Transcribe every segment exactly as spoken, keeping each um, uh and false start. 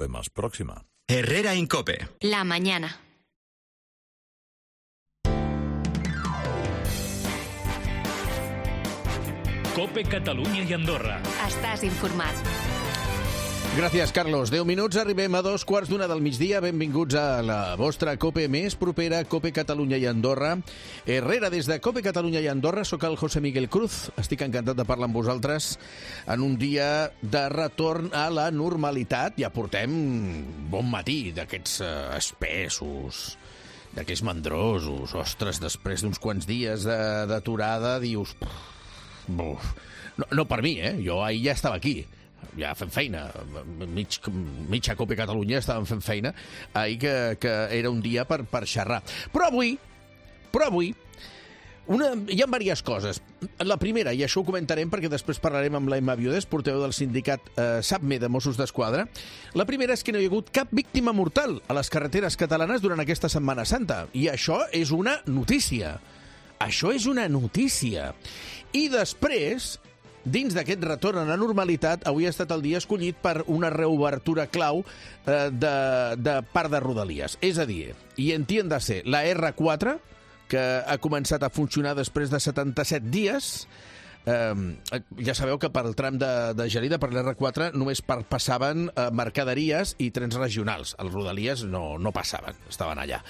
Vemos próxima. Herrera Incope. La mañana. Cope Catalunya i Andorra. Estàs informat. Gràcies, Carlos. deu minuts, arribem a dos quarts d'una del migdia. Benvinguts a la vostra Cope més propera, Cope Catalunya i Andorra. Herrera, des de Cope Catalunya i Andorra, sóc el José Miguel Cruz. Estic encantat de parlar amb vosaltres en un dia de retorn a la normalitat. Ja portem bon matí d'aquests uh, espessos, d'aquests mandrosos. Ostres, després d'uns quants dies d'aturada, dius... Buf. No, no per mi, eh? Jo ahir ja estava aquí. Ja fent feina, mig, mitja Cope Catalunya estàvem fent feina, ahir que, que era un dia per, per xerrar. Però avui, però avui, una, hi ha diverses coses. La primera, i això ho comentarem perquè després parlarem amb la Emma Viudes, portaveu del sindicat eh, SAPME de Mossos d'Esquadra. La primera és que no hi ha hagut cap víctima mortal a les carreteres catalanes durant aquesta Setmana Santa. I això és una notícia. Això és una notícia. I després... Dins d'aquest retorn a la normalitat, avui ha estat el dia escollit per una reobertura clau eh, de, de part de Rodalies. És a dir, i entienda-se, la erre quatre, que ha començat a funcionar després de setanta-set dies, eh, ja sabeu que per al tram de, de Gelida, per l'erre quatre, només per, passaven eh, mercaderies i trens regionals. Els Rodalies no, no passaven, estaven allà.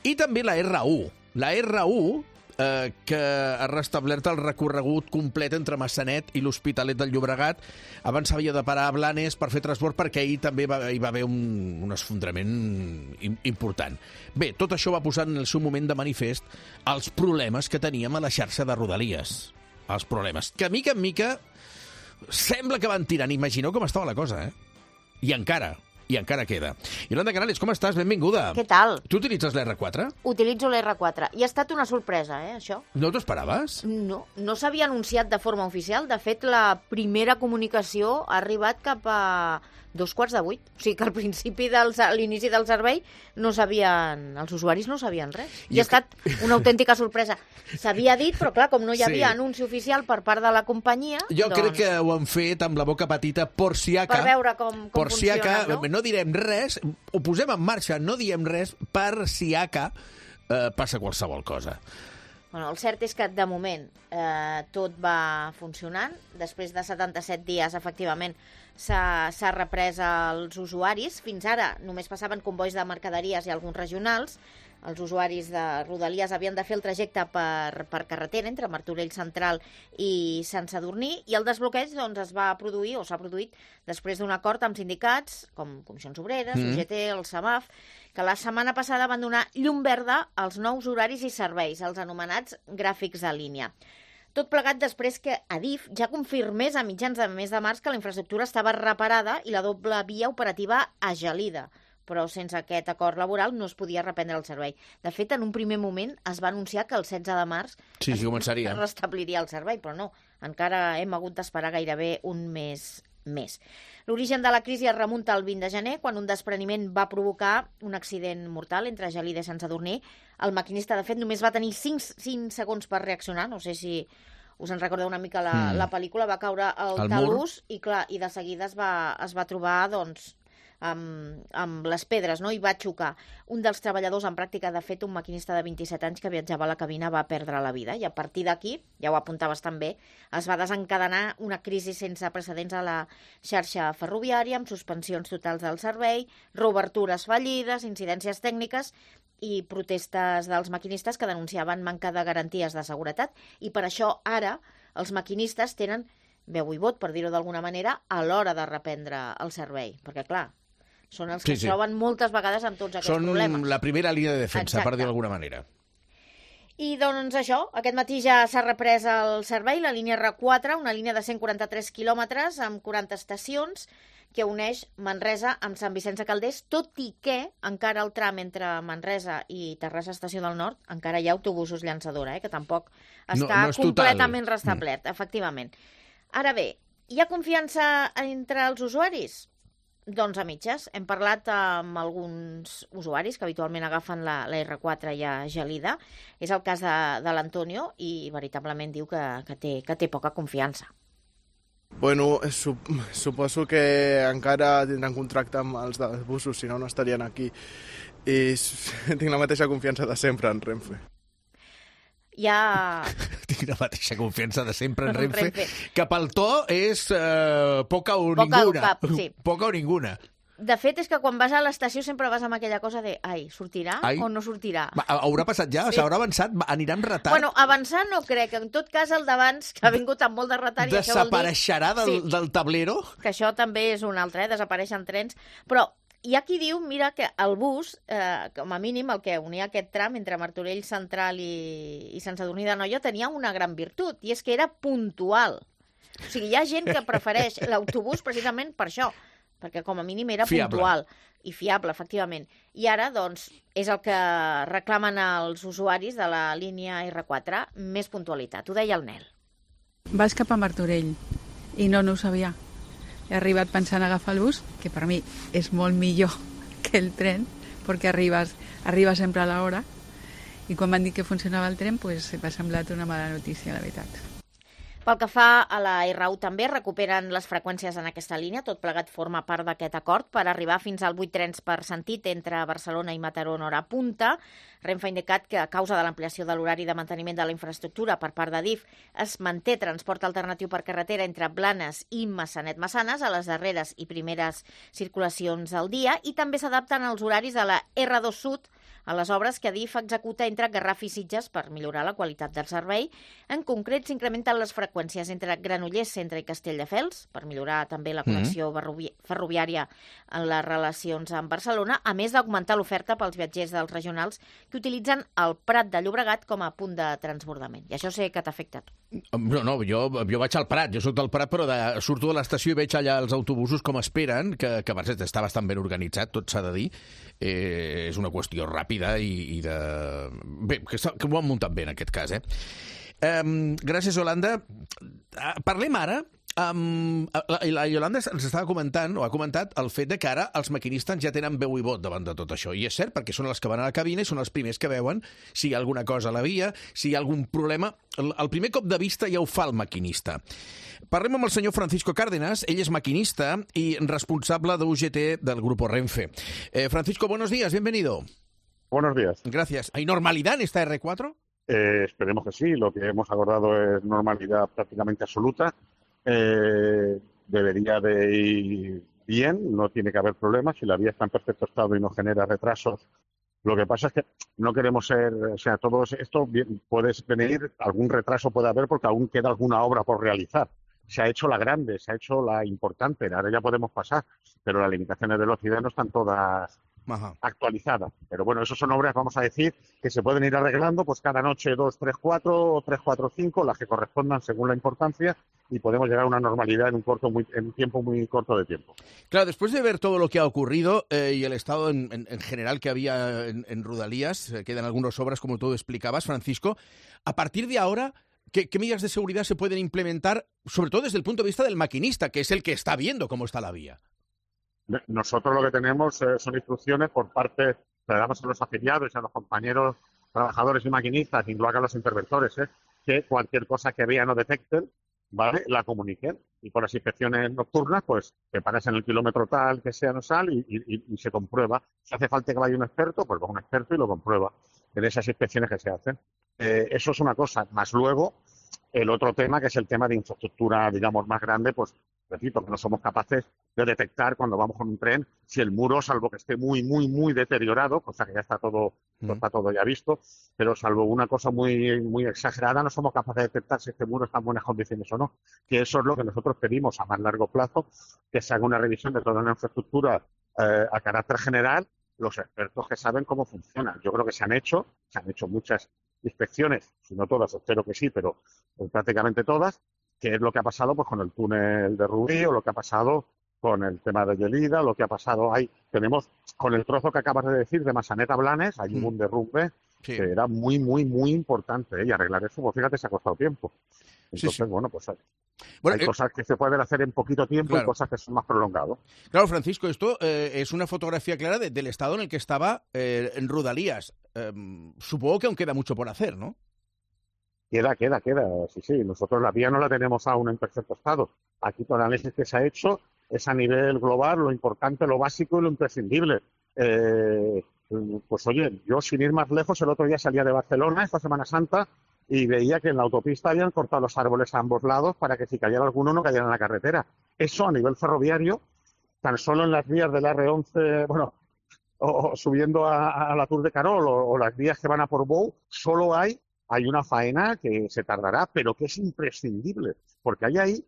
I també la erre u. La erre u... Eh, que ha restablert el recorregut complet entre Massanet i l'Hospitalet del Llobregat. Abans s'havia de parar a Blanes per fer transport perquè ahir també va, hi va haver un, un esfondrament important. Bé, tot això va posar en el seu moment de manifest els problemes que teníem a la xarxa de Rodalies. Els problemes. Que mica en mica sembla que van tirant. Imagineu com estava la cosa, eh? I encara... I encara queda. Yolanda Canales, com estàs? Benvinguda. Què tal? Tu utilitzes l'erre quatre? Utilitzo l'erre quatre. I ha estat una sorpresa, eh, això. No t'ho esperaves? No, no s'havia anunciat de forma oficial. De fet, la primera comunicació ha arribat cap a dos quarts de vuit. O sigui que al principi, del, a l'inici del servei, no sabien, els usuaris no sabien res. I, I ha estat una autèntica sorpresa. S'havia dit, però clar, com no hi havia sí. anunci oficial per part de la companyia... Jo doncs... crec que ho han fet amb la boca petita por si aca. Per veure com, com por si funciona, aca, no? No direm res, ho posem en marxa, no diem res per si aca eh, passa qualsevol cosa. Bueno, el cert és que, de moment, eh, tot va funcionant. Després de setanta-set dies, efectivament, s'ha reprès als usuaris. Fins ara només passaven convois de mercaderies i alguns regionals. Els usuaris de Rodalies havien de fer el trajecte per, per carretera entre Martorell Central i Sant Sadurní, i el desbloqueig doncs, es va produir, o s'ha produït, després d'un acord amb sindicats, com Comissions Obreres, mm. U G T, el SAMAF, que la setmana passada van donar llum verda als nous horaris i serveis, els anomenats gràfics de línia. Tot plegat després que Adif ja confirmés a mitjans de mes de març que la infraestructura estava reparada i la doble via operativa a Gelida, però sense aquest acord laboral no es podia reprendre el servei. De fet, en un primer moment es va anunciar que el setze de març sí, sí, començaria. es restabliria el servei, però no, encara hem hagut d'esperar gairebé un mes més. L'origen de la crisi es remunta al vint de gener, quan un despreniment va provocar un accident mortal entre Gelida i Sant Sadurní. El maquinista, de fet, només va tenir cinc, cinc segons per reaccionar. No sé si us en recordeu una mica la, mm. la pel·lícula. Va caure al el talús i, clar, i de seguida es va, es va trobar, doncs, amb, amb les pedres, no? I va xocar. Un dels treballadors en pràctica, de fet, un maquinista de vint-i-set anys que viatjava a la cabina, va perdre la vida. I a partir d'aquí, ja ho apuntaves també, es va desencadenar una crisi sense precedents a la xarxa ferroviària, amb suspensions totals del servei, reobertures fallides, incidències tècniques i protestes dels maquinistes que denunciaven manca de garanties de seguretat. I per això ara els maquinistes tenen veu i vot, per dir-ho d'alguna manera, a l'hora de reprendre el servei. Perquè, clar, són els que sí, sí. es troben moltes vegades amb tots aquests són problemes. Són la primera línia de defensa, Exacte. Per dir-ho d'alguna manera. I doncs això, aquest matí ja s'ha reprès el servei, la línia erre quatre, una línia de cent quaranta-tres quilòmetres amb quaranta estacions, que uneix Manresa amb Sant Vicenç de Calders, tot i que encara el tram entre Manresa i Terrassa Estació del Nord encara hi ha autobusos llançadora, eh, que tampoc està no, no completament total. restablert, mm. efectivament. Ara bé, hi ha confiança entre els usuaris? Doncs a mitges. Hem parlat amb alguns usuaris que habitualment agafen la, la erre quatre i a Gelida. És el cas de, de l'Antonio i veritablement diu que, que, té, que té poca confiança. Bueno, sup suposo que encara tindran contracte amb els dels busos, si no, no estarien aquí. I tinc la mateixa confiança de sempre en Renfe. Ja... Tinc la mateixa confiança de sempre en En Renfe, Renfe. que pel to és eh, poca o Poca o ninguna. cap, sí. Poca o ninguna. De fet, és que quan vas a l'estació sempre vas amb aquella cosa de ai, sortirà Ai. o no sortirà? Va, haurà passat ja? Sí. S'haurà avançat? Va, anirà amb retard? Bueno, avançar no crec. En tot cas, el d'abans, que ha vingut amb molt de retard... i això vol dir Desapareixerà del, Sí. del tablero? que això també és un altre, eh? Desapareixen trens. Però hi ha qui diu, mira, que el bus, eh, com a mínim, el que unia aquest tram entre Martorell Central i, i Sant Sadurní d'Anoia, tenia una gran virtut, i és que era puntual. O sigui, hi ha gent que prefereix l'autobús precisament per això, perquè com a mínim era Fiable. puntual i fiable, efectivament. I ara, doncs, és el que reclamen els usuaris de la línia erre quatre, més puntualitat. Ho deia el Nel. Vas cap a Martorell i no, no ho sabia. He arribat pensant agafar el bus, que per mi és molt millor que el tren, perquè arribes, arribes sempre a l'hora, i quan van dir que funcionava el tren, pues, m'ha semblat una mala notícia, la veritat. Pel que fa a la erre u també, recuperen les freqüències en aquesta línia, tot plegat forma part d'aquest acord per arribar fins al vuit trens per sentit entre Barcelona i Mataró en hora punta. Renfe ha indicat que a causa de l'ampliació de l'horari de manteniment de la infraestructura per part de D I F es manté transport alternatiu per carretera entre Blanes i Massanet-Massanes a les darreres i primeres circulacions al dia i també s'adapten als horaris de la erre dos Sud a les obres que D I F executa entre Garraf i Sitges per millorar la qualitat del servei. En concret, s'incrementen les freqüències entre Granollers, Centre i Castelldefels, per millorar també la connexió mm-hmm. ferroviària en les relacions amb Barcelona, a més d'augmentar l'oferta pels viatgers dels regionals que utilitzen el Prat de Llobregat com a punt de transbordament. I això sé que t'afecta a tu. No, no, jo, jo vaig al Prat, jo soc del Prat, però de, surto de l'estació i veig allà els autobusos com esperen, que, que per cert està bastant ben organitzat, tot s'ha de dir. Eh, és una qüestió ràpida i, i de... Bé, que, que ho han muntat bé en aquest cas, eh? Um, gràcies, Yolanda. Uh, parlem ara. Um, la, la Yolanda ens estava comentant, o ha comentat, el fet de que ara els maquinistes ja tenen veu i vot davant de tot això. I és cert, perquè són els que van a la cabina i són els primers que veuen si hi ha alguna cosa a la via, si hi ha algun problema. El, el primer cop de vista ja ho fa el maquinista. Parlem amb el senyor Francisco Cárdenas. Ell és maquinista i responsable de U G T del Grupo Renfe. Eh, Francisco, buenos días, bienvenido. Buenos días. Gracias. ¿Hay normalidad en esta erre cuatro? Eh, esperemos que sí. Lo que hemos acordado es normalidad prácticamente absoluta. Eh, debería de ir bien, no tiene que haber problemas. Si la vía está en perfecto estado y no genera retrasos. Lo que pasa es que no queremos ser, o sea, todo esto bien, puede venir, algún retraso puede haber porque aún queda alguna obra por realizar. Se ha hecho la grande, se ha hecho la importante, ahora ya podemos pasar, pero las limitaciones de velocidad no están todas Ajá. actualizadas. Pero bueno, eso son obras, vamos a decir, que se pueden ir arreglando, pues cada noche dos, tres, cuatro, o tres, cuatro, cinco, las que correspondan según la importancia, y podemos llegar a una normalidad en un corto, muy, en un tiempo muy corto de tiempo. Claro, después de ver todo lo que ha ocurrido eh, y el estado en, en, en general que había en, en Rodalías, eh, quedan algunas obras, como tú explicabas, Francisco, a partir de ahora, ¿Qué, ¿Qué medidas de seguridad se pueden implementar, sobre todo desde el punto de vista del maquinista, que es el que está viendo cómo está la vía? Nosotros lo que tenemos eh, son instrucciones por parte, le damos a los afiliados y a los compañeros trabajadores y maquinistas, incluso a los interventores, eh, que cualquier cosa que vean o detecten, ¿vale?, la comuniquen. Y por las inspecciones nocturnas, pues te paras en el kilómetro tal que sea no sal y, y, y se comprueba. Si hace falta que vaya un experto, pues va un experto y lo comprueba en esas inspecciones que se hacen. Eh, eso es una cosa. Más luego, el otro tema, que es el tema de infraestructura, digamos, más grande, pues repito, que no somos capaces de detectar cuando vamos con un tren si el muro, salvo que esté muy, muy, muy deteriorado, cosa que ya está todo, mm. está todo ya visto, pero salvo una cosa muy, muy exagerada, no somos capaces de detectar si este muro está en buenas condiciones o no. Que eso es lo que nosotros pedimos a más largo plazo, que se haga una revisión de toda la infraestructura eh, a carácter general, los expertos que saben cómo funciona. Yo creo que se han hecho, se han hecho muchas inspecciones, si no todas, espero que sí, pero pues, prácticamente todas, que es lo que ha pasado pues con el túnel de Rubí o lo que ha pasado con el tema de Gelida, lo que ha pasado ahí. Tenemos, con el trozo que acabas de decir de Massanet a Blanes, hay mm. un derrumbe sí. que era muy, muy, muy importante, ¿eh? Y arreglar eso, pues fíjate, se ha costado tiempo. Entonces, sí, sí. bueno, pues hay, bueno, hay eh, cosas que se pueden hacer en poquito tiempo claro. y cosas que son más prolongadas. Claro, Francisco, esto eh, es una fotografía clara de, del estado en el que estaba eh, en Rodalías. Eh, supongo que aún queda mucho por hacer, ¿no? Queda, queda, queda. Sí, sí, nosotros la vía no la tenemos aún en perfecto estado. Aquí todo el análisis que se ha hecho es a nivel global, lo importante, lo básico y lo imprescindible. Eh, pues oye, yo sin ir más lejos, el otro día salía de Barcelona, esta Semana Santa, y veía que en la autopista habían cortado los árboles a ambos lados para que si cayera alguno no cayera en la carretera. Eso a nivel ferroviario, tan solo en las vías del erre once, bueno, o, o subiendo a, a la Tour de Carol o, o las vías que van a Portbou, solo hay, hay una faena que se tardará, pero que es imprescindible, porque hay ahí.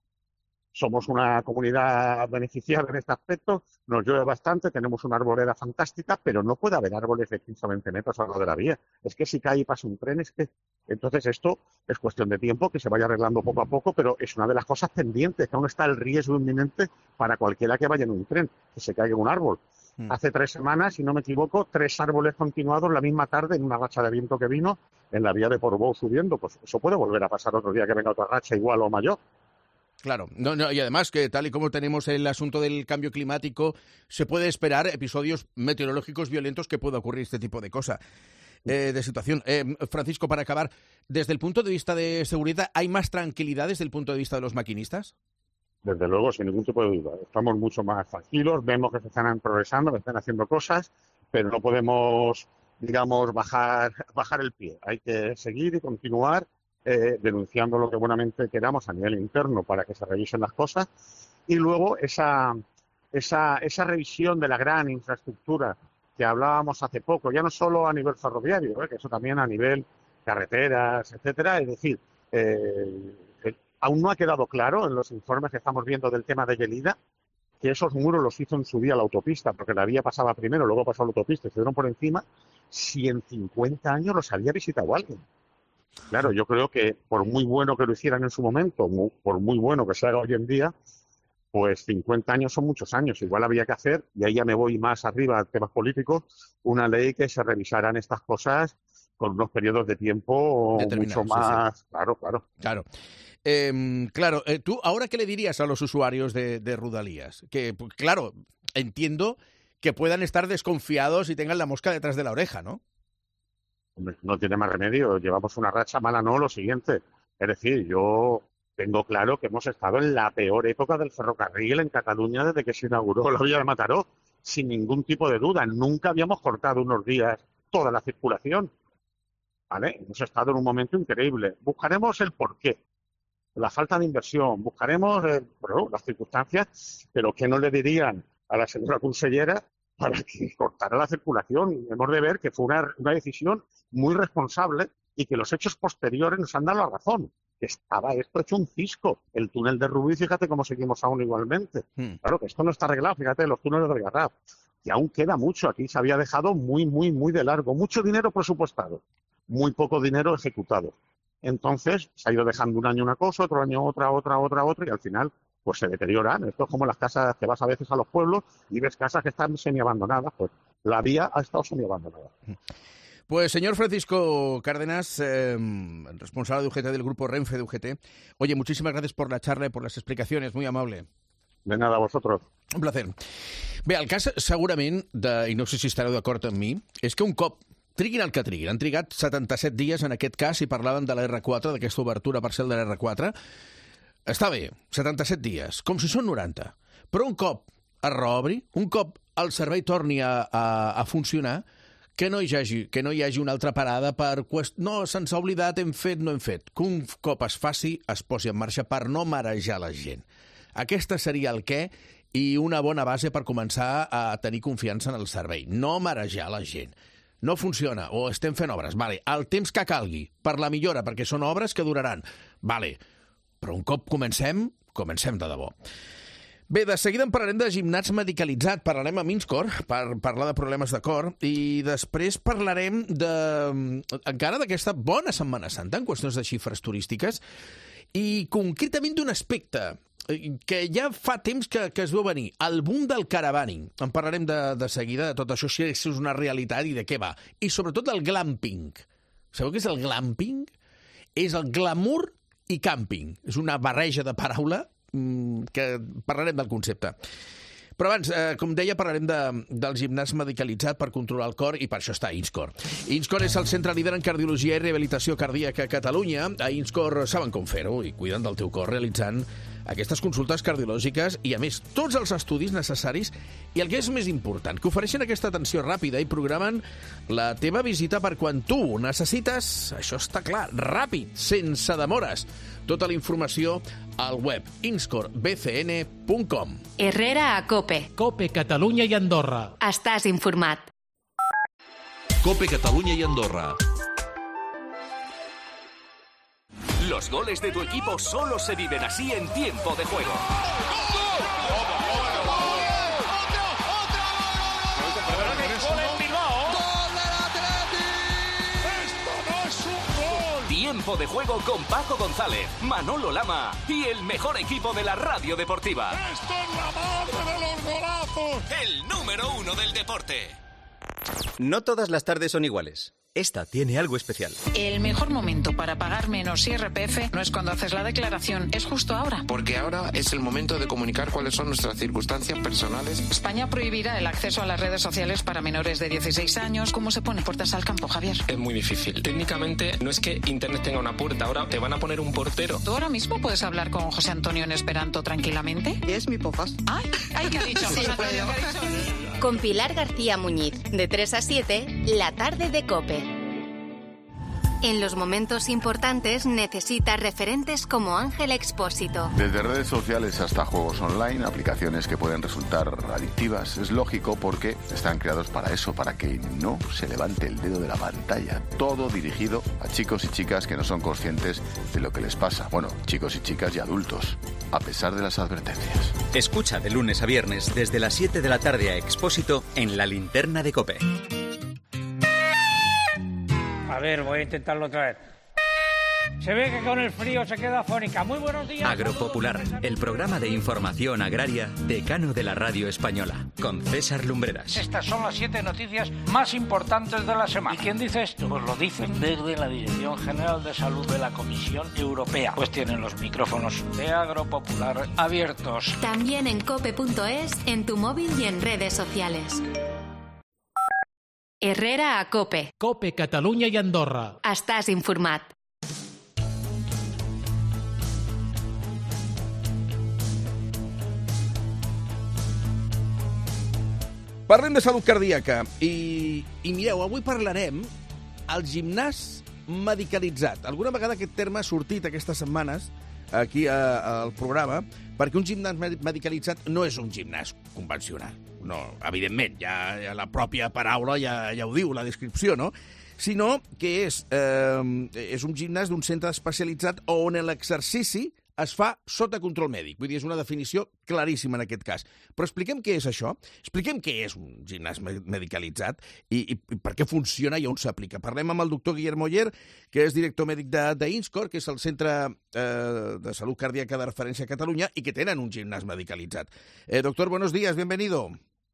Somos una comunidad beneficiada en este aspecto, nos llueve bastante, tenemos una arboleda fantástica, pero no puede haber árboles de quince o veinte metros a lo largo de la vía. Es que si cae y pasa un tren, es que... Entonces esto es cuestión de tiempo, que se vaya arreglando poco a poco, pero es una de las cosas pendientes, que aún está el riesgo inminente para cualquiera que vaya en un tren, que se caiga un árbol. Mm. Hace tres semanas, si no me equivoco, tres árboles continuados la misma tarde en una racha de viento que vino en la vía de Portbou subiendo. Pues eso puede volver a pasar otro día que venga otra racha igual o mayor. Claro, no, no, y además que tal y como tenemos el asunto del cambio climático, se puede esperar episodios meteorológicos violentos que pueda ocurrir este tipo de cosa, eh, de situación. Eh, Francisco, para acabar, desde el punto de vista de seguridad, ¿hay más tranquilidad desde el punto de vista de los maquinistas? Desde luego, sin ningún tipo de duda. Estamos mucho más tranquilos, vemos que se están progresando, que están haciendo cosas, pero no podemos, digamos, bajar, bajar el pie. Hay que seguir y continuar. Eh, denunciando lo que buenamente queramos a nivel interno para que se revisen las cosas, y luego esa, esa, esa revisión de la gran infraestructura que hablábamos hace poco, ya no solo a nivel ferroviario, eh, que eso también a nivel carreteras, etcétera. Es decir, eh, eh, aún no ha quedado claro en los informes que estamos viendo del tema de Gelida que esos muros los hizo en su día la autopista, porque la vía pasaba primero, luego pasó la autopista y se dieron por encima, si en cincuenta años los había visitado alguien. Claro, yo creo que por muy bueno que lo hicieran en su momento, muy, por muy bueno que se haga hoy en día, pues cincuenta años son muchos años. Igual había que hacer, y ahí ya me voy más arriba a temas políticos, una ley que se revisaran estas cosas con unos periodos de tiempo mucho más... Sí, sí. Claro, claro. Claro. Eh, claro, eh, tú, ¿ahora qué le dirías a los usuarios de, de Rodalies? Que, pues, claro, entiendo que puedan estar desconfiados y tengan la mosca detrás de la oreja, ¿no? No tiene más remedio, llevamos una racha mala, no, lo siguiente. Es decir, yo tengo claro que hemos estado en la peor época del ferrocarril en Cataluña desde que se inauguró la vía de Mataró, sin ningún tipo de duda. Nunca habíamos cortado unos días toda la circulación. ¿Vale? Hemos estado en un momento increíble. Buscaremos el porqué, la falta de inversión, buscaremos eh, bueno, las circunstancias, pero ¿qué no le dirían a la señora consellera para que cortara la circulación? Hemos de ver que fue una, una decisión muy responsable y que los hechos posteriores nos han dado la razón. Que estaba esto hecho un cisco. El túnel de Rubí, fíjate cómo seguimos aún igualmente. Hmm. Claro que esto no está arreglado, fíjate, los túneles de Garraf. Y aún queda mucho. Aquí se había dejado muy, muy, muy de largo. Mucho dinero presupuestado, muy poco dinero ejecutado. Entonces se ha ido dejando un año una cosa, otro año otra, otra, otra, otra, y al final pues se deterioran. Esto es como las casas que vas a veces a los pueblos y ves casas que están semiabandonadas. Pues la vía ha estado semiabandonada. Pues señor Francisco Cárdenas, eh, responsable de U G T del grupo Renfe de U G T, oye, muchísimas gracias por la charla y por las explicacions, muy amable. De nada, a vosotros. Un placer. Bé, el cas segurament, de, i no sé si estareu d'acord amb mi, és que un cop triguin el que triguin, han trigat setanta-set dies en aquest cas i parlaven de la erre quatre, d'aquesta obertura parcial de la erre quatre, està bé, setanta-set dies, com si són noranta, però un cop es reobri, un cop el servei torni a, a, a funcionar, que no hi hagi, que no hi hagi una altra parada per... Quest... No, se'ns ha oblidat, hem fet, no hem fet. Que un cop es faci, es posi en marxa per no marejar la gent. Aquesta seria el què i una bona base per començar a tenir confiança en el servei. No marejar la gent. No funciona, o estem fent obres. Vale, el temps que calgui per la millora, perquè són obres que duraran. Vale, però un cop comencem, comencem de debò. Bé, de seguida en parlarem de gimnàs medicalitzat, parlarem a Minscor per parlar de problemes de cor i després parlarem de, encara d'aquesta bona Setmana Santa en qüestions de xifres turístiques i concretament d'un aspecte que ja fa temps que, que es veu venir, el boom del caravaning. En parlarem de, de seguida de tot això, si és una realitat i de què va. I sobretot del glamping. Sabeu què és el glamping? És el glamour i camping. És una barreja de paraula que parlarem del concepte. Però abans, eh, com deia, parlarem de, del gimnàs medicalitzat per controlar el cor i per això està INSCOR. INSCOR és el centre líder en cardiologia i rehabilitació cardíaca a Catalunya. A INSCOR saben com fer-ho i cuiden del teu cor realitzant aquestes consultes cardiològiques i, a més, tots els estudis necessaris i el que és més important, que ofereixen aquesta atenció ràpida i programen la teva visita per quan tu ho necessites. Això està clar, ràpid, sense demores. Tota la informació al web inscor b c n punt com. Herrera a Cope. Cope Catalunya i Andorra. Estàs informat. Cope Catalunya y Andorra. Los goles de tu equipo solo se viven así en tiempo de juego. Tiempo de juego con Paco González, Manolo Lama y el mejor equipo de la radio deportiva. ¡Esto es la madre de los golazos! El número uno del deporte. No todas las tardes son iguales. Esta tiene algo especial. El mejor momento para pagar menos I R P F no es cuando haces la declaración, es justo ahora. Porque ahora es el momento de comunicar cuáles son nuestras circunstancias personales. España prohibirá el acceso a las redes sociales para menores de dieciséis años. ¿Cómo se pone puertas al campo, Javier? Es muy difícil. Técnicamente no es que Internet tenga una puerta, ahora te van a poner un portero. ¿Tú ahora mismo puedes hablar con José Antonio en esperanto tranquilamente? Es mi pofas. Ay, ay, ¿qué ha dicho? Sí, José Antonio, ¿qué ha dicho? Con Pilar García Muñiz, de tres a siete, la tarde de Cope. En los momentos importantes necesita referentes como Ángel Expósito. Desde redes sociales hasta juegos online, aplicaciones que pueden resultar adictivas, es lógico porque están creados para eso, para que no se levante el dedo de la pantalla. Todo dirigido a chicos y chicas que no son conscientes de lo que les pasa. Bueno, chicos y chicas y adultos, a pesar de las advertencias. Escucha de lunes a viernes desde las siete de la tarde a Expósito en La Linterna de Cope. A ver, voy a intentarlo otra vez. Se ve que con el frío se queda afónica. Muy buenos días. Agropopular, el programa de información agraria decano de la radio española, con César Lumbreras. Estas son las siete noticias más importantes de la semana. ¿Y quién dice esto? Pues lo dicen desde la Dirección General de Salud de la Comisión Europea. Pues tienen los micrófonos de Agropopular abiertos. También en cope punto es, en tu móvil y en redes sociales. Herrera a Cope. Cope Catalunya i Andorra. Estàs informat. Parlem de salut cardíaca i, i mireu, avui parlarem el gimnàs medicalitzat. Alguna vegada aquest terme ha sortit aquestes setmanes aquí a, al programa perquè un gimnàs medicalitzat no és un gimnàs convencional. No, evidentment, ja, ja la pròpia paraula ja, ja ho diu, la descripció, no? Sinó que és, eh, és un gimnàs d'un centre especialitzat on l'exercici es fa sota control mèdic. Vull dir, és una definició claríssima en aquest cas. Però expliquem què és això, expliquem què és un gimnàs medicalitzat i, i, i per què funciona i on s'aplica. Parlem amb el doctor Guillermo Oller, que és director mèdic d'INSCOR, que és el Centre eh, de Salut Cardíaca de Referència a Catalunya i que tenen un gimnàs medicalitzat. Eh, doctor, buenos días, bienvenido.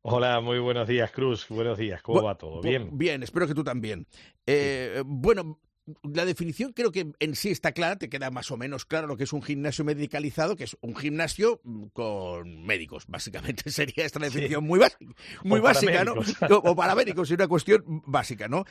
Hola, muy buenos días, Cruz. Buenos días, ¿cómo Bu va todo? ¿Bien? Bien, espero que tú también. Eh, sí. Bueno, la definición creo que en sí está clara, te queda más o menos claro lo que es un gimnasio medicalizado, que es un gimnasio con médicos, básicamente sería esta definición sí. muy, muy básica, ¿no? O paramédicos, es una cuestión básica, ¿no?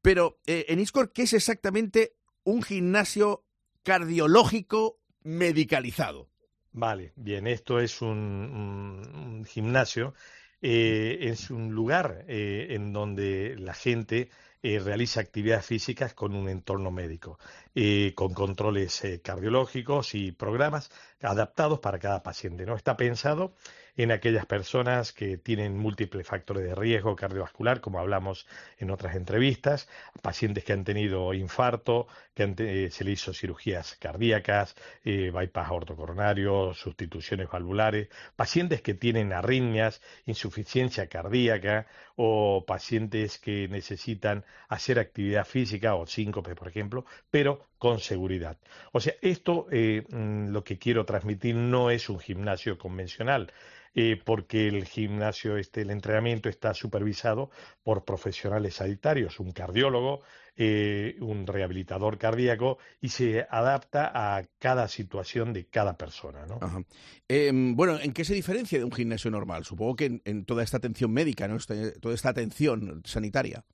Pero eh, en INSCOR, ¿qué es exactamente un gimnasio cardiológico medicalizado? Vale, bien, esto es un, un, un gimnasio, eh, es un lugar eh, en donde la gente eh, realiza actividades físicas con un entorno médico, eh, con controles eh, cardiológicos y programas adaptados para cada paciente, ¿no? Está pensado en aquellas personas que tienen múltiples factores de riesgo cardiovascular, como hablamos en otras entrevistas, pacientes que han tenido infarto, que han eh, se le hizo cirugías cardíacas, eh, bypass aortocoronario, sustituciones valvulares, pacientes que tienen arritmias, insuficiencia cardíaca o pacientes que necesitan hacer actividad física o síncope, por ejemplo, pero con seguridad. O sea, esto eh, lo que quiero transmitir no es un gimnasio convencional, eh, porque el gimnasio, este, el entrenamiento está supervisado por profesionales sanitarios, un cardiólogo, eh, un rehabilitador cardíaco, y se adapta a cada situación de cada persona, ¿no? Ajá. Eh, bueno, ¿en qué se diferencia de un gimnasio normal? Supongo que en, en toda esta atención médica, ¿no? Este, toda esta atención sanitaria.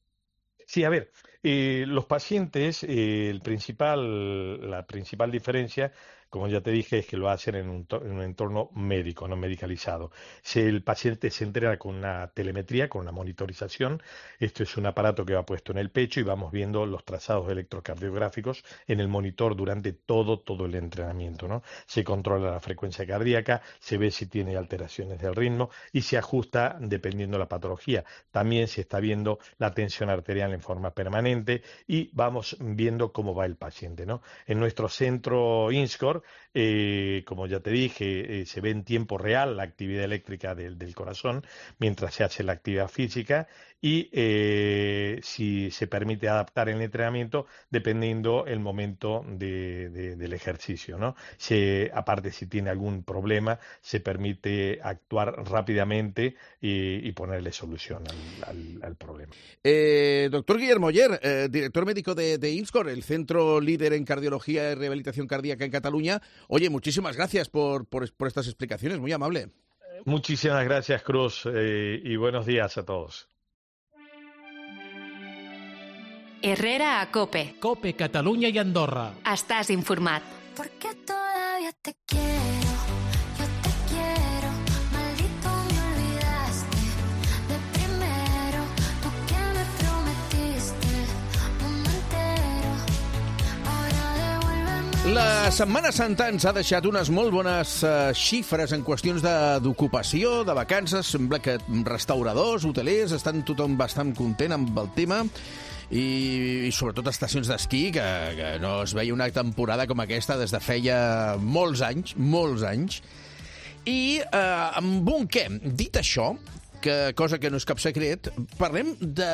Sí, a ver, eh, los pacientes, eh, el principal, la principal diferencia, como ya te dije, es que lo hacen en un, en un entorno médico, no medicalizado. Si el paciente se entrena con una telemetría, con una monitorización, esto es un aparato que va puesto en el pecho y vamos viendo los trazados electrocardiográficos en el monitor durante todo, todo el entrenamiento, ¿no? Se controla la frecuencia cardíaca, se ve si tiene alteraciones del ritmo y se ajusta dependiendo de la patología. También se está viendo la tensión arterial en forma permanente y vamos viendo cómo va el paciente, ¿no? En nuestro centro INSCOR, Eh, como ya te dije, eh, se ve en tiempo real la actividad eléctrica del, del corazón mientras se hace la actividad física y eh, si se permite adaptar el entrenamiento dependiendo el momento de, de, del ejercicio, ¿no? Se, aparte, si tiene algún problema, se permite actuar rápidamente y, y ponerle solución al, al, al problema. Eh, doctor Guillermo Oller, eh, director médico de, de INSCOR, el centro líder en cardiología y rehabilitación cardíaca en Cataluña. Oye, muchísimas gracias por, por, por estas explicaciones, muy amable. Muchísimas gracias, Cruz, eh, y buenos días a todos. Herrera a Cope. Cope, Catalunya i Andorra. Estàs informat. Porque todavía te quiero, yo te quiero, maldito me olvidaste de primero, tú que me prometiste mundo entero, ahora devuélveme. La Setmana Santa ens ha deixat unes molt bones uh, xifres en qüestions d'ocupació, de, de vacances. Sembla que restauradors, hotelers, estan tothom bastant content amb el tema. I, i sobretot estacions d'esquí, que, que no es veia una temporada com aquesta des de feia molts anys, molts anys. I eh, amb un què? Dit això, que, cosa que no és cap secret, parlem de,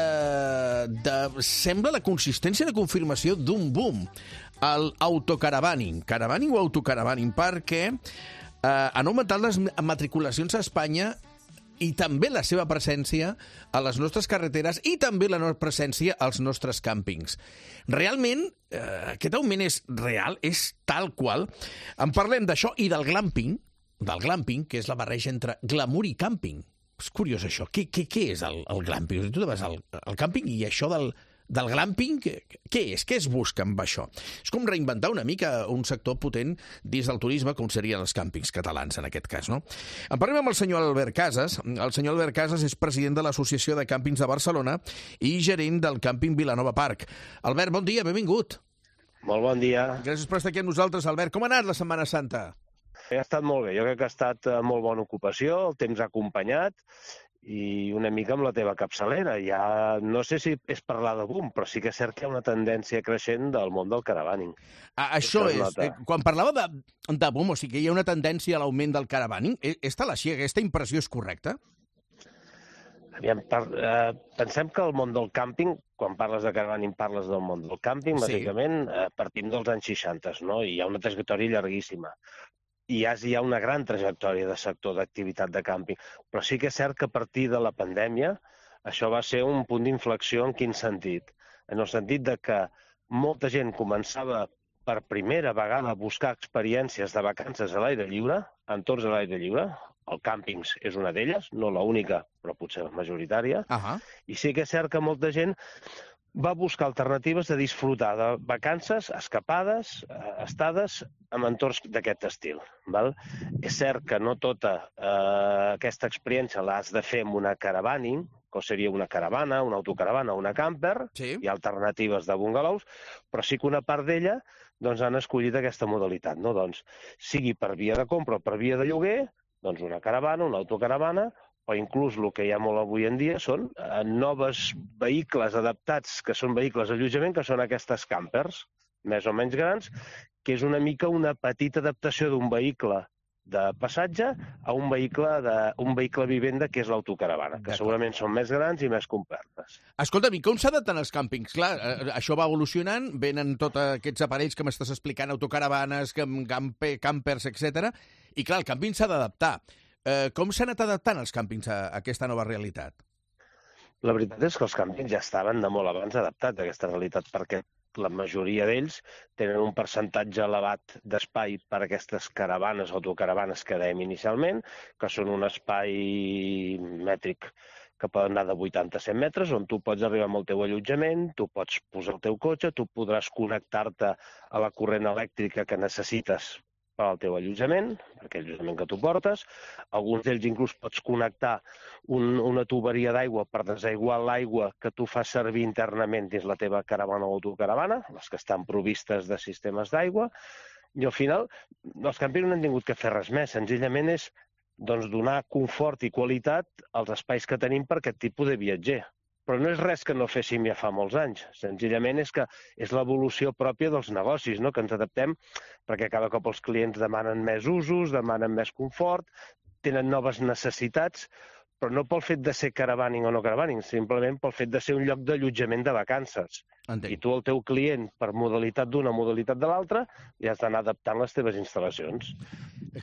de... sembla la consistència de confirmació d'un boom, el autocaravaning, caravaning o autocaravaning, perquè eh, han augmentat les matriculacions a Espanya i també la seva presència a les nostres carreteres i també la nostra presència als nostres càmpings. Realment, eh, aquest augment és real, és tal qual. En parlem d'això i del glamping, del glamping, que és la barreja entre glamour i càmping. És curiós això. Què, què, què és el, el glamping? Tu te vas al, al càmping i això del, del glamping, què, què és? Què es busca amb això? És com reinventar una mica un sector potent dins del turisme, com serien els càmpings catalans, en aquest cas, no? En parlem amb el senyor Albert Casas. El senyor Albert Casas és president de l'Associació de Càmpings de Barcelona i gerent del càmping Vilanova Park. Albert, bon dia, benvingut. Molt bon dia. Gràcies per estar aquí amb nosaltres, Albert. Com ha anat la Setmana Santa? Ha estat molt bé. Jo crec que ha estat molt bona ocupació, el temps ha acompanyat i una mica amb la teva capçalera. Ja no sé si és parlar de boom, però sí que és cert que hi ha una tendència creixent del món del caravaning. Ah, això és, eh, quan parlava de, de boom, o sigui que hi ha una tendència a l'augment del caravaning, és tal així, aquesta impressió és correcta? Aviam, per, eh, pensem que el món del càmping, quan parles de caravaning parles del món del càmping, Sí. bàsicament eh, partim dels anys seixanta, no? I hi ha una trajectòria llarguíssima. I ja hi ha una gran trajectòria de sector d'activitat de càmping. Però sí que és cert que a partir de la pandèmia això va ser un punt d'inflexió. En quin sentit? En el sentit de que molta gent començava per primera vegada a buscar experiències de vacances a l'aire lliure, entorns a l'aire lliure. El càmpings és una d'elles, no l'única, però potser la majoritària. Uh-huh. I sí que és cert que molta gent va buscar alternatives de disfrutar de vacances, escapades, eh, estades en entorns d'aquest estil. Val? És cert que no tota eh, aquesta experiència l'has de fer amb una caravaning, que seria una caravana, una autocaravana o una camper, sí. Hi ha alternatives de bungalows, però sí que una part d'ella doncs, han escollit aquesta modalitat. No? Doncs, sigui per via de compra o per via de lloguer, doncs una caravana, una autocaravana, o inclús el que hi ha molt avui en dia són eh, noves vehicles adaptats, que són vehicles d'allotjament, que són aquestes campers, més o menys grans, que és una mica una petita adaptació d'un vehicle de passatge a un vehicle, de, un vehicle vivenda que és l'autocaravana, que segurament són més grans i més complertes. Escolta'm, i com s'adapten els càmpings? Clar, eh, això va evolucionant, venen tots aquests aparells que m'estàs explicant, autocaravanes, camper, campers, etcètera. I clar, el càmping s'ha d'adaptar. Eh, com s'han anat adaptant els càmpings a, a aquesta nova realitat? La veritat és que els càmpings ja estaven de molt abans adaptats a aquesta realitat, perquè la majoria d'ells tenen un percentatge elevat d'espai per a aquestes caravanes, autocaravanes que dèiem inicialment, que són un espai mètric que poden anar de vuitanta a cent metres, on tu pots arribar amb el teu allotjament, tu pots posar el teu cotxe, tu podràs connectar-te a la corrent elèctrica que necessites per al teu allotjament, per aquell allotjament que tu portes. Alguns d'ells inclús pots connectar un, una tuberia d'aigua per desaiguar l'aigua que tu fas servir internament dins la teva caravana o autocaravana, les que estan provistes de sistemes d'aigua, i al final els campings no han tingut que fer res més, senzillament és doncs, donar confort i qualitat als espais que tenim per aquest tipus de viatger. Però no és res que no féssim ja fa molts anys. Senzillament és que és l'evolució pròpia dels negocis, no? Que ens adaptem perquè cada cop els clients demanen més usos, demanen més confort, tenen noves necessitats, però no pel fet de ser caravaning o no caravaning, simplement pel fet de ser un lloc d'allotjament de vacances. Entenc. I tu, el teu client, per modalitat d'una, modalitat de l'altra, ja has d'anar adaptant les teves instal·lacions.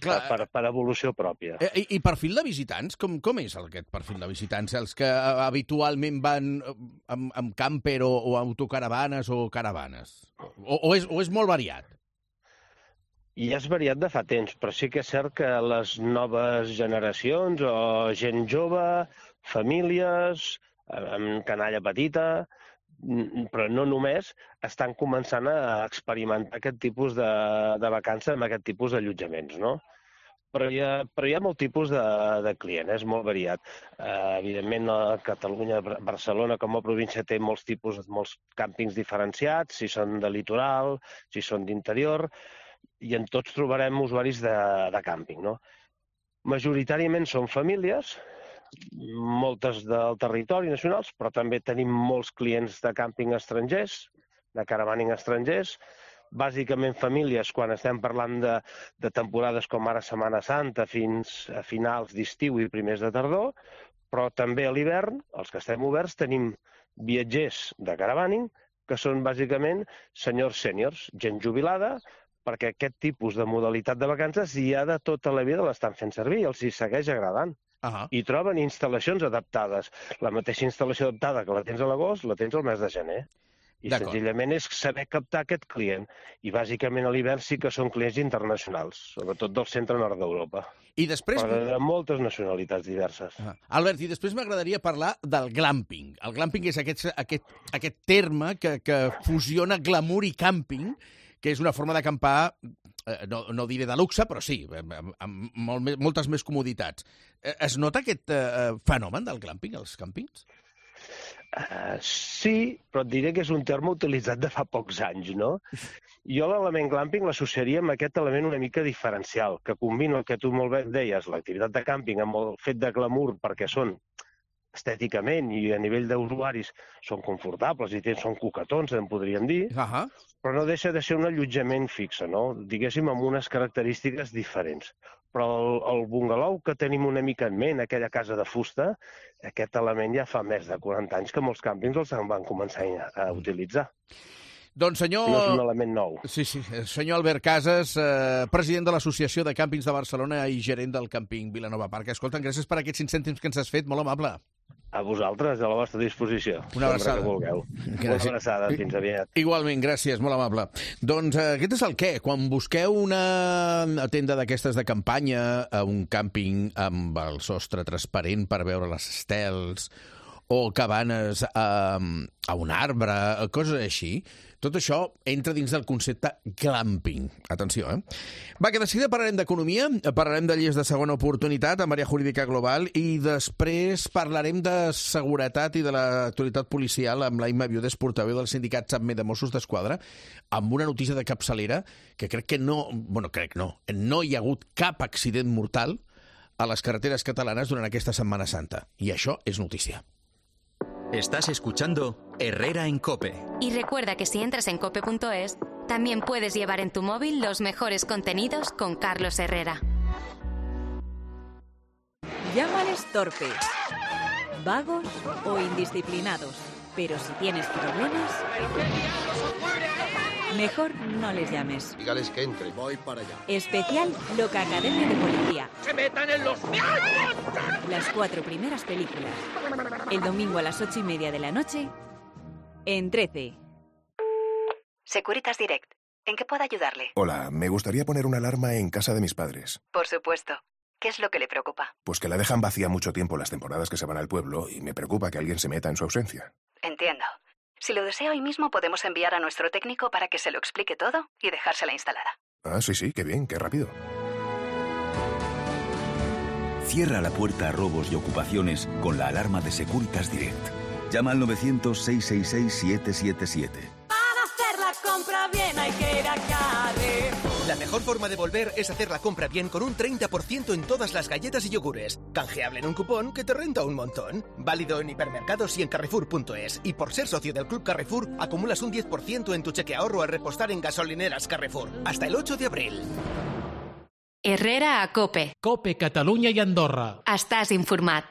Clar, per, per evolució pròpia. I, i perfil de visitants? Com, com és aquest perfil de visitants? Els que habitualment van amb, amb camper o, o autocaravanes o caravanes? O, o, és, o és molt variat? I és variat de fa temps, però sí que és cert que les noves generacions o gent jove, famílies, amb canalla petita, però no només, estan començant a experimentar aquest tipus de, de vacances amb aquest tipus d'allotjaments, no? Però hi ha, però hi ha molt tipus de, de client, és molt variat. Uh, evidentment, a Catalunya, Barcelona, com a província, té molts tipus, molts càmpings diferenciats, si són de litoral, si són d'interior, i en tots trobarem usuaris de, de càmping, no? Majoritàriament són famílies, moltes del territori nacionals, però també tenim molts clients de càmping estrangers, de caravaning estrangers, bàsicament famílies quan estem parlant de, de temporades com ara Setmana Santa fins a finals d'estiu i primers de tardor, però també a l'hivern, els que estem oberts, tenim viatgers de caravaning que són bàsicament senyors sèniors, gent jubilada, perquè aquest tipus de modalitat de vacances ja de tota la vida l'estan fent servir i els hi segueix agradant. Uh-huh. I troben instal·lacions adaptades. La mateixa instal·lació adaptada que la tens a l'agost, la tens al mes de gener. I senzillament és saber captar aquest client. I bàsicament a l'hivern sí que són clients internacionals, sobretot del centre-nord d'Europa. I després... Però de moltes nacionalitats diverses. Uh-huh. Albert, i després m'agradaria parlar del glamping. El glamping és aquest, aquest, aquest terme que, que fusiona glamour i càmping, que és una forma d'acampar, eh, no, no diré de luxe, però sí, amb, amb molt, moltes més comoditats. Eh, es nota aquest eh, fenomen del glamping, als càmpings? Uh, sí, però et diré que és un terme utilitzat de fa pocs anys, no? Jo l'element glamping l'associaria amb aquest element una mica diferencial, que combina el que tu molt bé deies, l'activitat de càmping amb el fet de glamour, perquè són estèticament i a nivell d'usuaris són confortables i són coquetons, en podríem dir, uh-huh. però no deixa de ser un allotjament fixe, no? Diguéssim, amb unes característiques diferents. Però el, el bungalou que tenim una mica en ment, aquella casa de fusta, aquest element ja fa més de quaranta anys que molts càmpings els van començar a utilitzar. Doncs senyor... No és un element nou. Sí, sí. Senyor Albert Casas, eh, president de l'Associació de Càmpings de Barcelona i gerent del càmping Vilanova Park. Escolta'm, gràcies per aquests cinc cèntims que ens has fet, molt amable. A vosaltres, a la vostra disposició. Una abraçada. Que vulgueu. Una abraçada, fins aviat. Igualment, gràcies, molt amable. Doncs eh, aquest és el què. Quan busqueu una tenda d'aquestes de campanya, a un càmping amb el sostre transparent per veure les estels, o cabanes a, a un arbre, coses així, tot això entra dins del concepte glamping. Atenció, eh? Va, que de seguida parlarem d'economia, parlarem de lleis de segona oportunitat amb àrea jurídica global i després parlarem de seguretat i de l'actualitat policial amb l'Aima Viudes, portaveu del sindicat SAPME de Mossos d'Esquadra, amb una notícia de capçalera que crec que no... Bueno, crec no. No hi ha hagut cap accident mortal a les carreteres catalanes durant aquesta Setmana Santa. I això és notícia. Estás escuchando Herrera en COPE. Y recuerda que si entras en cope punto es, también puedes llevar en tu móvil los mejores contenidos con Carlos Herrera. Llámales torpes, vagos o indisciplinados. Pero si tienes problemas, mejor no les llames. Dígales que entre. Voy para allá. Especial Loca Academia de Policía. ¡Se metan en los miados! Las cuatro primeras películas. El domingo a las ocho y media de la noche, en trece. Securitas Direct. ¿En qué puedo ayudarle? Hola, me gustaría poner una alarma en casa de mis padres. Por supuesto. ¿Qué es lo que le preocupa? Pues que la dejan vacía mucho tiempo las temporadas que se van al pueblo y me preocupa que alguien se meta en su ausencia. Entiendo. Si lo desea hoy mismo, podemos enviar a nuestro técnico para que se lo explique todo y dejársela instalada. Ah, sí, sí, qué bien, qué rápido. Cierra la puerta a robos y ocupaciones con la alarma de Securitas Direct. Llama al novecientos, seiscientos sesenta y seis, siete siete siete. Para hacer la compra bien hay que ir a Carrefour. La mejor forma de volver es hacer la compra bien con un treinta por ciento en todas las galletas y yogures. Canjeable en un cupón que te renta un montón. Válido en hipermercados y en Carrefour punto es. Y por ser socio del Club Carrefour, acumulas un diez por ciento en tu cheque ahorro al repostar en gasolineras Carrefour. Hasta el ocho de abril. Herrera a Cope. Cope Catalunya i Andorra. Estàs informat.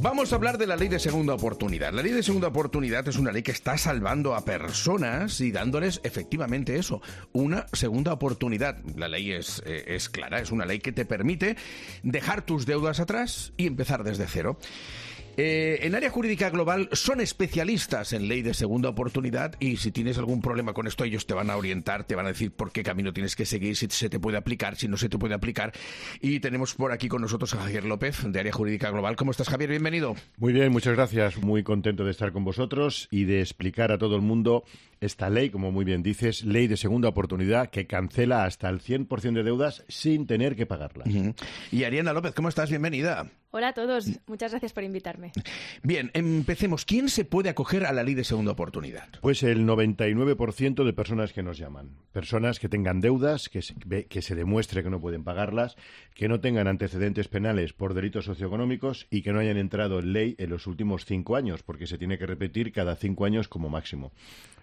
Vamos a hablar de la ley de segunda oportunidad. La ley de segunda oportunidad es una ley que está salvando a personas y dándoles efectivamente eso, una segunda oportunidad. La ley es, eh, es clara, es una ley que te permite dejar tus deudas atrás y empezar desde cero. Eh, en Área Jurídica Global son especialistas en ley de segunda oportunidad y si tienes algún problema con esto ellos te van a orientar, te van a decir por qué camino tienes que seguir, si se te puede aplicar, si no se te puede aplicar. Y tenemos por aquí con nosotros a Javier López de Área Jurídica Global. ¿Cómo estás, Javier? Bienvenido. Muy bien, muchas gracias. Muy contento de estar con vosotros y de explicar a todo el mundo esta ley, como muy bien dices, ley de segunda oportunidad que cancela hasta el cien por ciento de deudas sin tener que pagarlas. Uh-huh. Y Ariana López, ¿cómo estás? Bienvenida. Hola a todos, muchas gracias por invitarme. Bien, empecemos. ¿Quién se puede acoger a la ley de segunda oportunidad? Pues el noventa y nueve por ciento de personas que nos llaman. Personas que tengan deudas, que se, que se demuestre que no pueden pagarlas, que no tengan antecedentes penales por delitos socioeconómicos y que no hayan entrado en ley en los últimos cinco años, porque se tiene que repetir cada cinco años como máximo.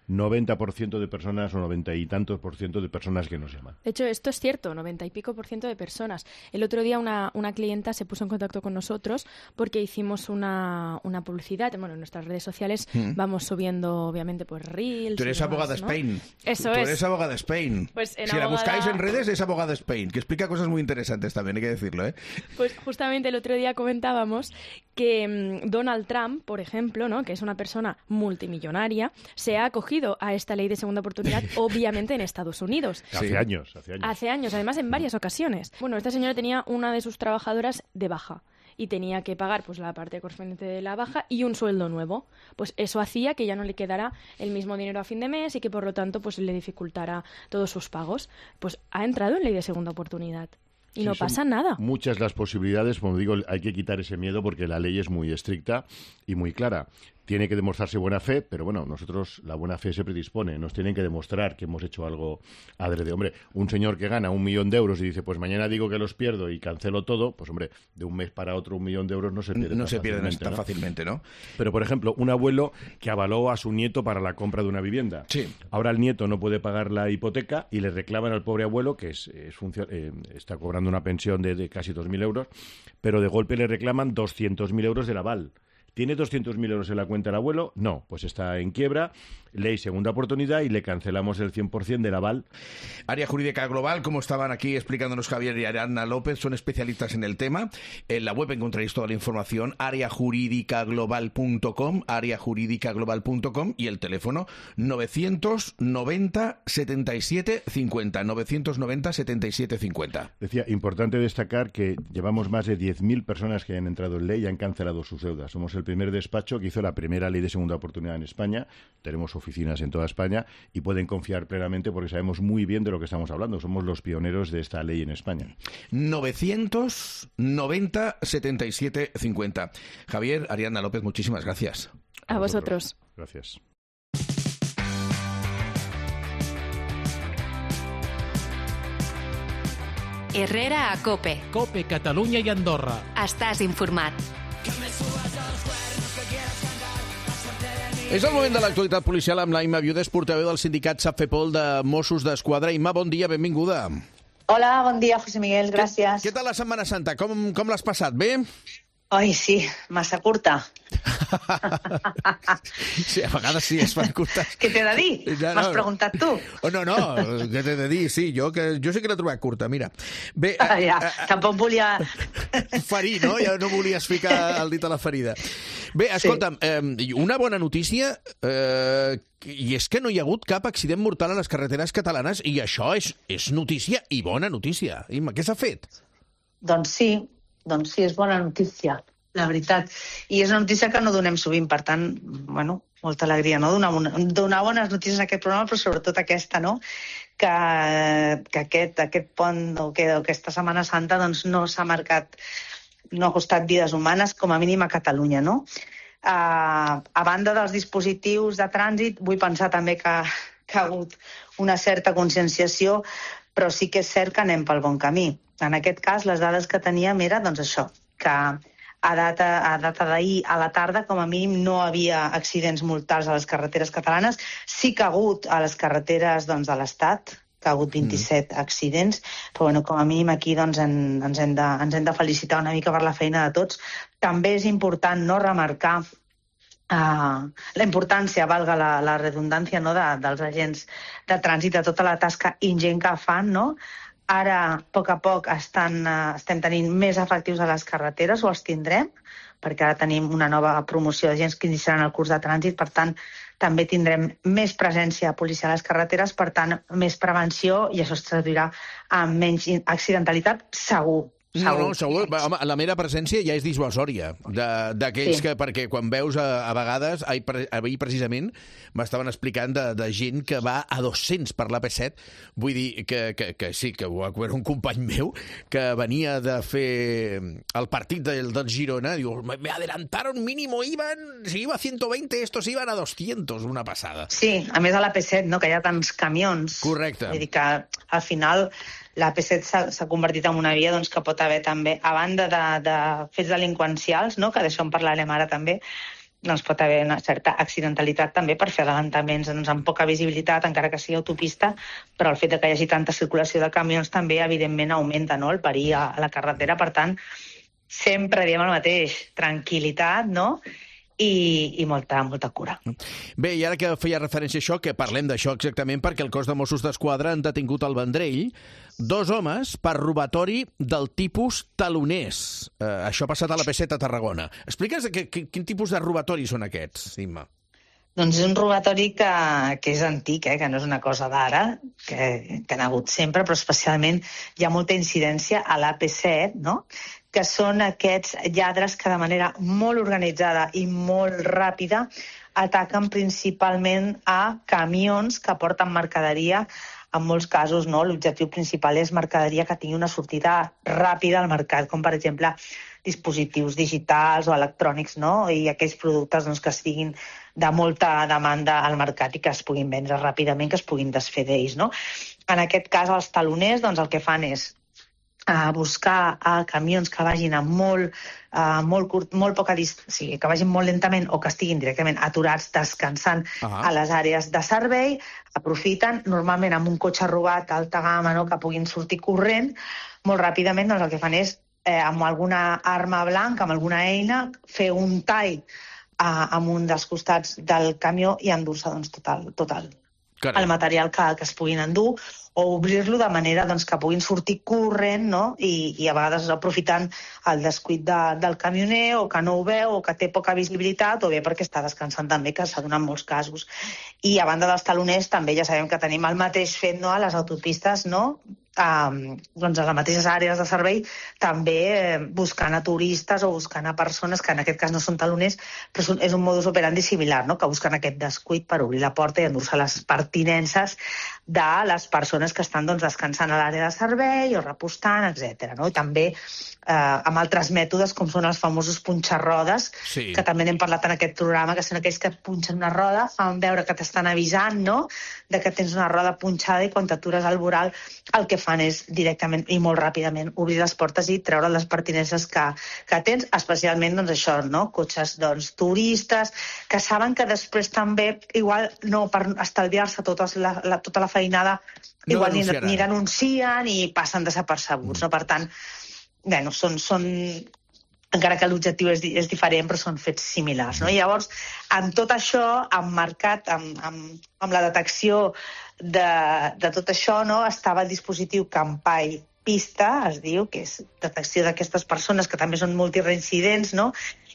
noventa por ciento de personas o noventa y tantos por ciento de personas que nos llaman. De hecho, esto es cierto, noventa y pico por ciento de personas. El otro día una, una clienta se puso en contacto con nosotros porque hicimos una, una publicidad. Bueno, en nuestras redes sociales mm. vamos subiendo, obviamente, pues reels. Tú eres y abogada demás, ¿no? Spain. Eso Tú es. eres abogada Spain. Pues en si abogada... la buscáis en redes es abogada Spain, que explica cosas muy interesantes también, hay que decirlo, ¿eh? Pues justamente el otro día comentábamos que um, Donald Trump, por ejemplo, ¿no?, que es una persona multimillonaria, se ha acogido a esta ley de segunda oportunidad, obviamente en Estados Unidos. Hace sí. años, hace años. Hace años, además en varias ocasiones. Bueno, esta señora tenía una de sus trabajadoras de baja y tenía que pagar pues la parte correspondiente de la baja y un sueldo nuevo. Pues eso hacía que ya no le quedara el mismo dinero a fin de mes y que por lo tanto pues le dificultara todos sus pagos. Pues ha entrado en ley de segunda oportunidad. Y sí, no pasa nada. Muchas las posibilidades, como digo, hay que quitar ese miedo porque la ley es muy estricta y muy clara. Tiene que demostrarse buena fe, pero bueno, nosotros la buena fe se predispone. Nos tienen que demostrar que hemos hecho algo adrede. Hombre, un señor que gana un millón de euros y dice, pues mañana digo que los pierdo y cancelo todo, pues hombre, de un mes para otro un millón de euros no se pierde No tan se pierden fácilmente, tan ¿no? fácilmente, ¿no? Pero, por ejemplo, un abuelo que avaló a su nieto para la compra de una vivienda. Sí. Ahora el nieto no puede pagar la hipoteca y le reclaman al pobre abuelo, que es, es funcio- eh, está cobrando una pensión de, de casi dos mil euros, pero de golpe le reclaman doscientos mil euros del aval. ¿Tiene doscientos mil euros en la cuenta el abuelo? No, pues está en quiebra, ley segunda oportunidad y le cancelamos el cien por ciento del aval. Área Jurídica Global, como estaban aquí explicándonos Javier y Ariana López, son especialistas en el tema. En la web encontraréis toda la información, área jurídica global punto com, área jurídica global punto com y el teléfono novecientos noventa setenta y siete cincuenta, novecientos noventa setenta y siete cincuenta. Decía, importante destacar que llevamos más de diez mil personas que han entrado en ley y han cancelado sus deudas. Somos el primer despacho que hizo la primera ley de segunda oportunidad en España. Tenemos oficinas en toda España y pueden confiar plenamente porque sabemos muy bien de lo que estamos hablando. Somos los pioneros de esta ley en España. novecientos noventa setenta y siete cincuenta. Javier, Ariana López, muchísimas gracias. A, a vosotros. Gracias. Herrera a Cope. Cope Catalunya i Andorra. Estàs informat. És el moment de l'actualitat policial amb la Imma Viudes, portaveu del sindicat SAPFEPOL de Mossos d'Esquadra. Imma, bon dia, benvinguda. Hola, bon dia, José Miguel, gràcies. Què, què tal la Setmana Santa? Com, com l'has passat? Bé? Ai, sí, massa curta. Sí, a vegades sí, es fan curtes. Què t'he de dir? Ja, M'has no. preguntat tu. Oh, no, no, què t'he de dir? Sí, jo, que, jo sé que l'he trobat curta, mira. Bé, Ah, ja, tampoc volia... ferir, no? Ja no volies ficar el dit a la ferida. Bé, escolta'm, eh, una bona notícia, eh, i és que no hi ha hagut cap accident mortal a les carreteres catalanes, i això és, és notícia i bona notícia. Imma, què s'ha fet? Doncs sí, doncs sí, és bona notícia, la veritat. I és una notícia que no donem sovint, per tant, bueno, molta alegria, no? Donar, una, donar bones notícies en aquest programa, però sobretot aquesta, no? Que, que aquest, aquest pont o que aquesta Setmana Santa doncs, no s'ha marcat, no ha costat vides humanes, com a mínim a Catalunya, no? Uh, a banda dels dispositius de trànsit, vull pensar també que, que ha hagut una certa conscienciació, però sí que és cert que anem pel bon camí. En aquest cas, les dades que teníem era doncs, això, que a data, a data d'ahir a la tarda, com a mínim, no havia accidents mortals a les carreteres catalanes. Sí que ha hagut a les carreteres doncs, de l'Estat, que ha hagut vint-i-set mm. accidents, però bueno, com a mínim aquí doncs, en, ens, hem de, ens hem de felicitar una mica per la feina de tots. També és important no remarcar Uh, la importància, valga la, la redundància, no, de, dels agents de trànsit, de tota la tasca ingent que fan, no? Ara, a poc a poc, estan, uh, estem tenint més efectius a les carreteres, o els tindrem, perquè ara tenim una nova promoció d'agents que iniciaran el curs de trànsit, per tant, també tindrem més presència policial a les carreteres, per tant, més prevenció, i això es traduirà en menys accidentalitat, segur. No, no, segur. Home, la mera presència ja és dissuasòria d'aquells sí. que, perquè quan veus a, a vegades, ahir, ahir precisament, m'estaven explicant de, de gent que va a dos-cents per l'A P set, vull dir que, que, que sí, que ho va veure un company meu que venia de fer el partit del, del Girona, diu, me adelantaron mínimo, iban, si iba a ciento veinte, estos iban a doscientos, una passada. Sí, a més a l'A P set, no, que hi ha tants camions. Correcte. Vull dir que al final l'A P set s'ha convertit en una via doncs, que pot haver també, a banda de, de fets delinqüencials, no? Que d'això en parlarem ara també, doncs pot haver una certa accidentalitat també per fer adelantaments doncs, amb poca visibilitat, encara que sigui autopista, però el fet de que hi hagi tanta circulació de camions també, evidentment, augmenta, no?, el perill a, a la carretera. Per tant, sempre diem el mateix, tranquil·litat, no?, i, i molta, molta cura. Bé, i ara que feia referència a això, que parlem d'això exactament, perquè el cos de Mossos d'Esquadra han detingut al Vendrell dos homes per robatori del tipus taloners. Eh, això ha passat a la P set a Tarragona. Explica'ns que, que, quin tipus de robatori són aquests, Imma. Doncs és un robatori que, que és antic, eh? Que no és una cosa d'ara, que, que n'ha hagut sempre, però especialment hi ha molta incidència a l'A P set, no?, que són aquests lladres que de manera molt organitzada i molt ràpida ataquen principalment a camions que porten mercaderia. En molts casos, no, l'objectiu principal és mercaderia que tingui una sortida ràpida al mercat, com per exemple dispositius digitals o electrònics, no? I aquells productes doncs, que siguin de molta demanda al mercat i que es puguin vendre ràpidament, que es puguin desfer d'ells, no? En aquest cas, els taloners doncs, el que fan és a buscar a camions que vagin a molt, a molt, curt, molt poca distància, o sigui, que vagin molt lentament o que estiguin directament aturats, descansant ah. a les àrees de servei, aprofiten, normalment amb un cotxe robat d'alta gamma, no?, que puguin sortir corrent, molt ràpidament doncs el que fan és, eh, amb alguna arma blanca, amb alguna eina, fer un tall eh, amb un dels costats del camió i endur-se doncs, tot, el, tot el, el material que, que es puguin endur, o obrir-lo de manera doncs, que puguin sortir corrent, no? I, i a vegades aprofitant el descuit de, del camioner, o que no ho veu, o que té poca visibilitat, o bé perquè està descansant també, que s'ha donat molts casos. I a banda dels taloners també ja sabem que tenim el mateix fet, no?, a les autopistes, no?, Um, doncs a les mateixes àrees de servei, també eh, buscant a turistes o buscant a persones que en aquest cas no són taloners, però és un modus operandi similar, no?, que busquen aquest descuit per obrir la porta i endur-se les pertinences de les persones que estan doncs, descansant a l'àrea de servei o repostant, etcètera. No? I també eh, amb altres mètodes com són els famosos punxarrodes, sí. que també n'hem parlat en aquest programa, que són aquells que punxen una roda, fan veure que t'estan avisant, no?, de que tens una roda punxada i quan t'atures al voral el que fan és directament i molt ràpidament obrir les portes i treure les pertinences que, que tens, especialment doncs, això, no? Cotxes doncs, turistes, que saben que després també, igual no per estalviar-se tota la, la, tota la feinada no igual ni, denunciaran. ni denuncien i passen desapercebuts. Mm. No? Per tant, bueno, són, són, encara que l'objectiu és, és diferent, però són fets similars. No? I llavors, amb tot això, emmarcat amb, amb, amb la detecció de, de tot això, no? Estava el dispositiu Campai Pista, es diu, que és detecció d'aquestes persones que també són multireincidents, no?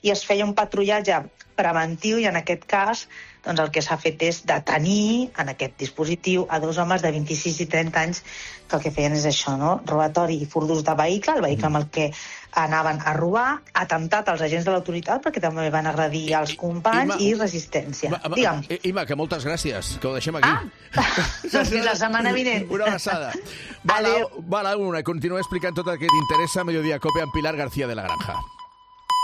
I es feia un patrullatge preventiu i en aquest cas doncs el que s'ha fet és detenir en aquest dispositiu a dos homes de vint-i-sis i trenta anys que el que feien és això, no? Robatori i furt d'ús de vehicle, el vehicle amb el que anaven a robar, atemptat als agents de l'autoritat perquè també van agredir els companys i, i resistència. Ima, Digue'm. Ima, que moltes gràcies, que ho deixem aquí. Ah, doncs fins la setmana vinent. Una abraçada. Va la, va la una, continua explicant tot el que t'interessa a Mediodía Cope amb Pilar García de la Granja.